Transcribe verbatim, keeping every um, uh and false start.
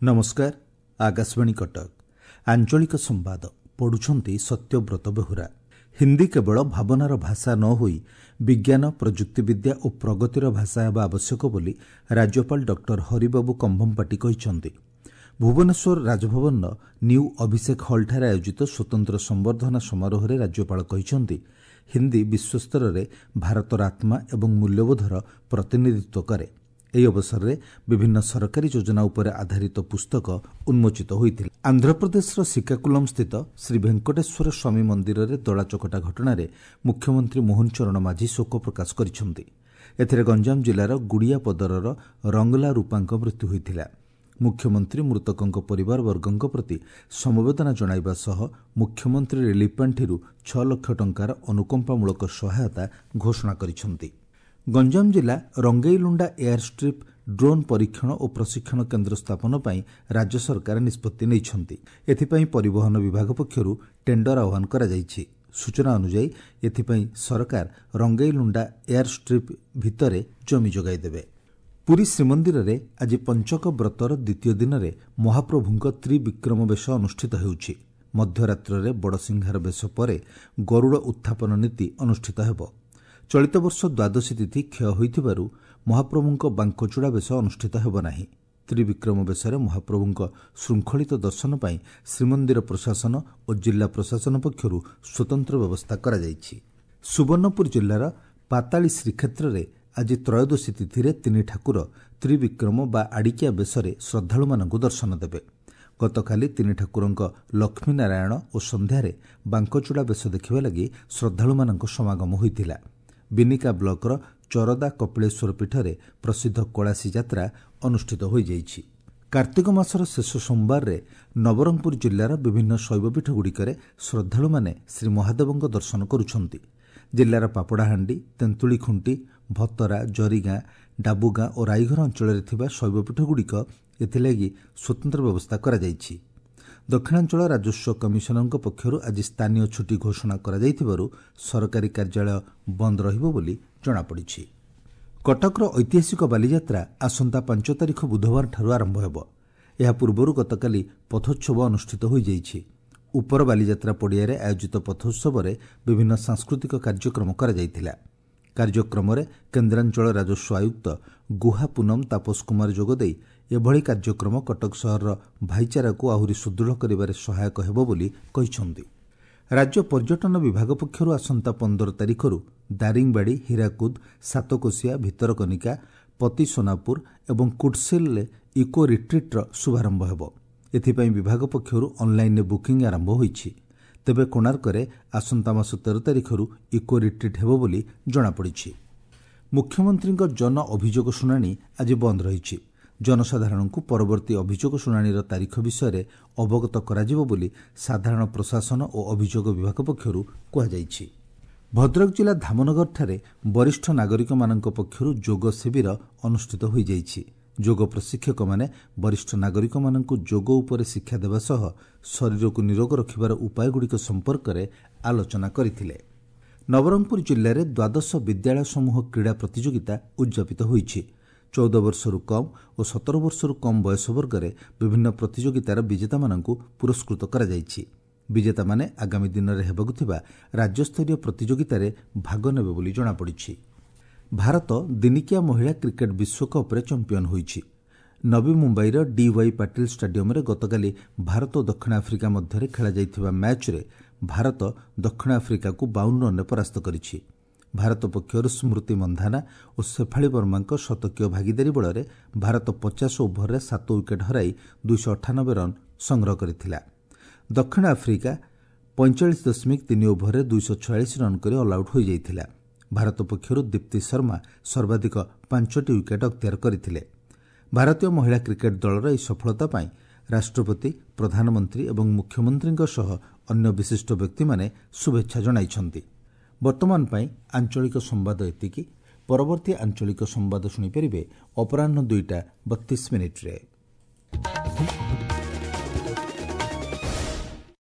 ନମସ୍କାର, ଆକାଶବାଣୀ କଟକ, ଆଞ୍ଚଳିକ ସମ୍ବାଦ ପଢୁଛନ୍ତି ସତ୍ୟବ୍ରତ ବେହୁରା। ହିନ୍ଦୀ କେବଳ ଭାବନାର ଭାଷା ନ ହୋଇ ବିଜ୍ଞାନ, ପ୍ରଯୁକ୍ତିବିଦ୍ୟା ଓ ପ୍ରଗତିର ଭାଷା ହେବା ଆବଶ୍ୟକ ବୋଲି ରାଜ୍ୟପାଳ ଡକ୍ଟର ହରିବାବୁ କମ୍ଭମପାଟି କହିଛନ୍ତି। ଭୁବନେଶ୍ୱର ରାଜଭବନର ନ୍ୟୁ ଅଭିଷେକ ହଲ୍ଠାରେ ଆୟୋଜିତ ସ୍ୱତନ୍ତ୍ର ସମ୍ବର୍ଦ୍ଧନା ସମାରୋହରେ ରାଜ୍ୟପାଳ କହିଛନ୍ତି, ହିନ୍ଦୀ ବିଶ୍ୱସ୍ତରରେ ଭାରତର ଆତ୍ମା ଏବଂ ମୂଲ୍ୟବୋଧର ପ୍ରତିନିଧିତ୍ୱ କରେ। ଏହି ଅବସରରେ ବିଭିନ୍ନ ସରକାରୀ ଯୋଜନା ଉପରେ ଆଧାରିତ ପୁସ୍ତକ ଉନ୍ମୋଚିତ ହୋଇଥିଲା। ଆନ୍ଧ୍ରପ୍ରଦେଶର ଶ୍ରୀକାକୁଲମ୍ ସ୍ଥିତ ଶ୍ରୀ ଭେଙ୍କଟେଶ୍ୱର ସ୍ୱାମୀ ମନ୍ଦିରରେ ଦଳାଚକଟା ଘଟଣାରେ ମୁଖ୍ୟମନ୍ତ୍ରୀ ମୋହନ ଚରଣ ମାଝୀ ଶୋକ ପ୍ରକାଶ କରିଛନ୍ତି। ଏଥିରେ ଗଞ୍ଜାମ ଜିଲ୍ଲାର ଗୁଡ଼ିଆପଦରର ରଙ୍ଗଲା ରୂପାଙ୍କ ମୃତ୍ୟୁ ହୋଇଥିଲା। ମୁଖ୍ୟମନ୍ତ୍ରୀ ମୃତକଙ୍କ ପରିବାରବର୍ଗଙ୍କ ପ୍ରତି ସମବେଦନା ଜଣାଇବା ସହ ମୁଖ୍ୟମନ୍ତ୍ରୀ ରିଲିଫ୍ ପାଣ୍ଠିରୁ ଛଅ ଲକ୍ଷ ଟଙ୍କାର ଅନୁକମ୍ପାମୂଳକ ସହାୟତା ଘୋଷଣା କରିଛନ୍ତି। ଗଞ୍ଜାମ ଜିଲ୍ଲା ରଙ୍ଗେଇଲୁଣ୍ଡା ଏୟାର ଷ୍ଟ୍ରିପ୍ ଡ୍ରୋନ୍ ପରୀକ୍ଷଣ ଓ ପ୍ରଶିକ୍ଷଣ କେନ୍ଦ୍ର ସ୍ଥାପନ ପାଇଁ ରାଜ୍ୟ ସରକାର ନିଷ୍ପତ୍ତି ନେଇଛନ୍ତି। ଏଥିପାଇଁ ପରିବହନ ବିଭାଗ ପକ୍ଷରୁ ଟେଣ୍ଡର ଆହ୍ୱାନ କରାଯାଇଛି। ସୂଚନା ଅନୁଯାୟୀ, ଏଥିପାଇଁ ସରକାର ରଙ୍ଗେଇଲୁଣ୍ଡା ଏୟାର ଷ୍ଟ୍ରିପ୍ ଭିତରେ ଜମି ଯୋଗାଇ ଦେବେ। ପୁରୀ ଶ୍ରୀମନ୍ଦିରରେ ଆଜି ପଞ୍ଚକ ବ୍ରତର ଦ୍ୱିତୀୟ ଦିନରେ ମହାପ୍ରଭୁଙ୍କ ତ୍ରିବିକ୍ରମ ବେଶ ଅନୁଷ୍ଠିତ ହେଉଛି। ମଧ୍ୟରାତ୍ରରେ ବଡ଼ସିଂହାର ବେଶ ପରେ ଗରୁଡ଼ ଉତ୍ଥାପନ ନୀତି ଅନୁଷ୍ଠିତ ହେବ। ଚଳିତ ବର୍ଷ ଦ୍ୱାଦଶୀ ତିଥି କ୍ଷୟ ହୋଇଥିବାରୁ ମହାପ୍ରଭୁଙ୍କ ବାଙ୍କଚୂଡ଼ା ବେଶ ଅନୁଷ୍ଠିତ ହେବ ନାହିଁ। ତ୍ରିବିକ୍ରମ ବେଶରେ ମହାପ୍ରଭୁଙ୍କ ଶୃଙ୍ଖଳିତ ଦର୍ଶନ ପାଇଁ ଶ୍ରୀମନ୍ଦିର ପ୍ରଶାସନ ଓ ଜିଲ୍ଲା ପ୍ରଶାସନ ପକ୍ଷରୁ ସ୍ୱତନ୍ତ୍ର ବ୍ୟବସ୍ଥା କରାଯାଇଛି। ସୁବର୍ଣ୍ଣପୁର ଜିଲ୍ଲାର ପାତାଳୀ ଶ୍ରୀକ୍ଷେତ୍ରରେ ଆଜି ତ୍ରୟୋଦଶୀ ତିଥିରେ ତିନି ଠାକୁର ତ୍ରିବିକ୍ରମ ବା ଆଡ଼ିକିଆ ବେଶରେ ଶ୍ରଦ୍ଧାଳୁମାନଙ୍କୁ ଦର୍ଶନ ଦେବେ। ଗତକାଲି ତିନି ଠାକୁରଙ୍କ ଲକ୍ଷ୍ମୀନାରାୟଣ ଓ ସନ୍ଧ୍ୟାରେ ବାଙ୍କଚୂଡ଼ା ବେଶ ଦେଖିବା ଲାଗି ଶ୍ରଦ୍ଧାଳୁମାନଙ୍କ ସମାଗମ ହୋଇଥିଲା। ବିନିକା ବ୍ଲକର ଚରଦା କପିଳେଶ୍ୱର ପୀଠରେ ପ୍ରସିଦ୍ଧ କଳାସୀ ଯାତ୍ରା ଅନୁଷ୍ଠିତ ହୋଇଯାଇଛି। କାର୍ତ୍ତିକ ମାସର ଶେଷ ସୋମବାରରେ ନବରଙ୍ଗପୁର ଜିଲ୍ଲାର ବିଭିନ୍ନ ଶୈବପୀଠଗୁଡ଼ିକରେ ଶ୍ରଦ୍ଧାଳୁମାନେ ଶ୍ରୀ ମହାଦେବଙ୍କ ଦର୍ଶନ କରୁଛନ୍ତି। ଜିଲ୍ଲାର ପାପଡ଼ାହାଣ୍ଡି, ତେନ୍ତୁଳିଖୁଣ୍ଟି, ଭତରା, ଜରିଗାଁ, ଡାବୁଗାଁ ଓ ରାଇଘର ଅଞ୍ଚଳରେ ଥିବା ଶୈବପୀଠଗୁଡ଼ିକ ଏଥିଲାଗି ସ୍ୱତନ୍ତ୍ର ବ୍ୟବସ୍ଥା କରାଯାଇଛି। ଦକ୍ଷିଣାଞ୍ଚଳ ରାଜସ୍ୱ କମିଶନରଙ୍କ ପକ୍ଷରୁ ଆଜି ସ୍ଥାନୀୟ ଛୁଟି ଘୋଷଣା କରାଯାଇଥିବାରୁ ସରକାରୀ କାର୍ଯ୍ୟାଳୟ ବନ୍ଦ ରହିବ ବୋଲି ଜଣାପଡ଼ିଛି। କଟକର ଐତିହାସିକ ବାଲିଯାତ୍ରା ଆସନ୍ତା ପାଞ୍ଚ ତାରିଖ ବୁଧବାରଠାରୁ ଆରମ୍ଭ ହେବ। ଏହା ପୂର୍ବରୁ ଗତକାଲି ପଥୋତ୍ସବ ଅନୁଷ୍ଠିତ ହୋଇଯାଇଛି। ଉପର ବାଲିଯାତ୍ରା ପଡ଼ିଆରେ ଆୟୋଜିତ ପଥୋତ୍ସବରେ ବିଭିନ୍ନ ସାଂସ୍କୃତିକ କାର୍ଯ୍ୟକ୍ରମ କରାଯାଇଥିଲା। କାର୍ଯ୍ୟକ୍ରମରେ କେନ୍ଦ୍ରାଞ୍ଚଳ ରାଜସ୍ୱ ଆୟୁକ୍ତ ଗୁହା ପୁନମ ତାପସ କୁମାର ଯୋଗଦେଇ ଏଭଳି କାର୍ଯ୍ୟକ୍ରମ କଟକ ସହରର ଭାଇଚାରାକୁ ଆହୁରି ସୁଦୃଢ଼ କରିବାରେ ସହାୟକ ହେବ ବୋଲି କହିଛନ୍ତି। ରାଜ୍ୟ ପର୍ଯ୍ୟଟନ ବିଭାଗ ପକ୍ଷରୁ ଆସନ୍ତା ପନ୍ଦର ତାରିଖରୁ ଦାରିଙ୍ଗବାଡ଼ି, ହୀରାକୁଦ, ସାତକୋଶିଆ, ଭିତରକନିକା, ପତିସୋନାପୁର ଏବଂ କୁଟସିଲରେ ଇକୋ ରିଟ୍ରିଟ୍ର ଶୁଭାରମ୍ଭ ହେବ। ଏଥିପାଇଁ ବିଭାଗ ପକ୍ଷରୁ ଅନ୍ଲାଇନ୍ରେ ବୁକିଂ ଆରମ୍ଭ ହୋଇଛି। ତେବେ କୋଣାର୍କରେ ଆସନ୍ତା ମାସ ତେର ତାରିଖରୁ ଇକୋ ରିଟ୍ରିଟ୍ ହେବ ବୋଲି ଜଣାପଡ଼ିଛି। ମୁଖ୍ୟମନ୍ତ୍ରୀଙ୍କ ଜନ ଅଭିଯୋଗ ଶୁଣାଣି ଆଜି ବନ୍ଦ ରହିଛି। ଜନସାଧାରଣଙ୍କୁ ପରବର୍ତ୍ତୀ ଅଭିଯୋଗ ଶୁଣାଣିର ତାରିଖ ବିଷୟରେ ଅବଗତ କରାଯିବ ବୋଲି ସାଧାରଣ ପ୍ରଶାସନ ଓ ଅଭିଯୋଗ ବିଭାଗ ପକ୍ଷରୁ କୁହାଯାଇଛି। ଭଦ୍ରକ ଜିଲ୍ଲା ଧାମନଗରଠାରେ ବରିଷ୍ଠ ନାଗରିକମାନଙ୍କ ପକ୍ଷରୁ ଯୋଗ ଶିବିର ଅନୁଷ୍ଠିତ ହୋଇଯାଇଛି। ଯୋଗ ପ୍ରଶିକ୍ଷକମାନେ ବରିଷ୍ଠ ନାଗରିକମାନଙ୍କୁ ଯୋଗ ଉପରେ ଶିକ୍ଷା ଦେବା ସହ ଶରୀରକୁ ନିରୋଗ ରଖିବାର ଉପାୟଗୁଡ଼ିକ ସମ୍ପର୍କରେ ଆଲୋଚନା କରିଥିଲେ। ନବରଙ୍ଗପୁର ଜିଲ୍ଲାରେ ଦ୍ୱାଦଶ ବିଦ୍ୟାଳୟ ସମୂହ କ୍ରୀଡ଼ା ପ୍ରତିଯୋଗିତା ଉଦ୍ଯାପିତ ହୋଇଛି। ଚଉଦ ବର୍ଷରୁ କମ୍ ଓ ସତର ବର୍ଷରୁ କମ୍ ବୟସ ବର୍ଗରେ ବିଭିନ୍ନ ପ୍ରତିଯୋଗିତାର ବିଜେତାମାନଙ୍କୁ ପୁରସ୍କୃତ କରାଯାଇଛି। ବିଜେତାମାନେ ଆଗାମୀ ଦିନରେ ହେବାକୁ ଥିବା ରାଜ୍ୟସ୍ତରୀୟ ପ୍ରତିଯୋଗିତାରେ ଭାଗ ନେବେ ବୋଲି ଜଣାପଡ଼ିଛି। ଭାରତ ଦିନିକିଆ ମହିଳା କ୍ରିକେଟ୍ ବିଶ୍ୱକପ୍ରେ ଚାମ୍ପିୟନ୍ ହୋଇଛି। ନବୀ ମୁମ୍ବାଇର ଡିୱାଇ ପାଟିଲ ଷ୍ଟାଡିୟମରେ ଗତକାଲି ଭାରତ ଓ ଦକ୍ଷିଣ ଆଫ୍ରିକା ମଧ୍ୟରେ ଖେଳାଯାଇଥିବା ମ୍ୟାଚ୍ରେ ଭାରତ ଦକ୍ଷିଣ ଆଫ୍ରିକାକୁ ବାଉନ ରନ୍ରେ ପରାସ୍ତ କରିଛି। ଭାରତ ପକ୍ଷରୁ ସ୍ମୃତି ମନ୍ଧାନା ଓ ଶେଫାଳି ବର୍ମାଙ୍କ ଶତକୀୟ ଭାଗିଦାରୀ ବଳରେ ଭାରତ ପଚାଶ ଓଭରରେ ସାତ ୱିକେଟ୍ ହରାଇ ଦୁଇଶହ ଅଠାନବେ ରନ୍ ସଂଗ୍ରହ କରିଥିଲା। ଦକ୍ଷିଣ ଆଫ୍ରିକା ପଇଁଚାଳିଶ ଦଶମିକ ତିନି ଓଭରରେ ଦୁଇଶହ ଛୟାଳିଶ ରନ୍ କରି ଅଲ୍ଆଉଟ୍ ହୋଇଯାଇଥିଲା। ଭାରତ ପକ୍ଷରୁ ଦୀପ୍ତି ଶର୍ମା ସର୍ବାଧିକ ପାଞ୍ଚଟି ୱିକେଟ୍ ଅକ୍ତିଆର କରିଥିଲେ। ଭାରତୀୟ ମହିଳା କ୍ରିକେଟ୍ ଦଳର ଏହି ସଫଳତା ପାଇଁ ରାଷ୍ଟ୍ରପତି, ପ୍ରଧାନମନ୍ତ୍ରୀ ଏବଂ ମୁଖ୍ୟମନ୍ତ୍ରୀଙ୍କ ସହ ଅନ୍ୟ ବିଶିଷ୍ଟ ବ୍ୟକ୍ତିମାନେ ଶୁଭେଚ୍ଛା ଜଣାଇଛନ୍ତି। ବର୍ତ୍ତମାନ ପାଇଁ ଆଞ୍ଚଳିକ ସମ୍ବାଦ ଏତିକି। ପରବର୍ତ୍ତୀ ଆଞ୍ଚଳିକ ସମ୍ବାଦ ଶୁଣିପାରିବେ ଅପରାହ୍ନ ଦୁଇଟା ବତିଶ ମିନିଟ୍ରେ।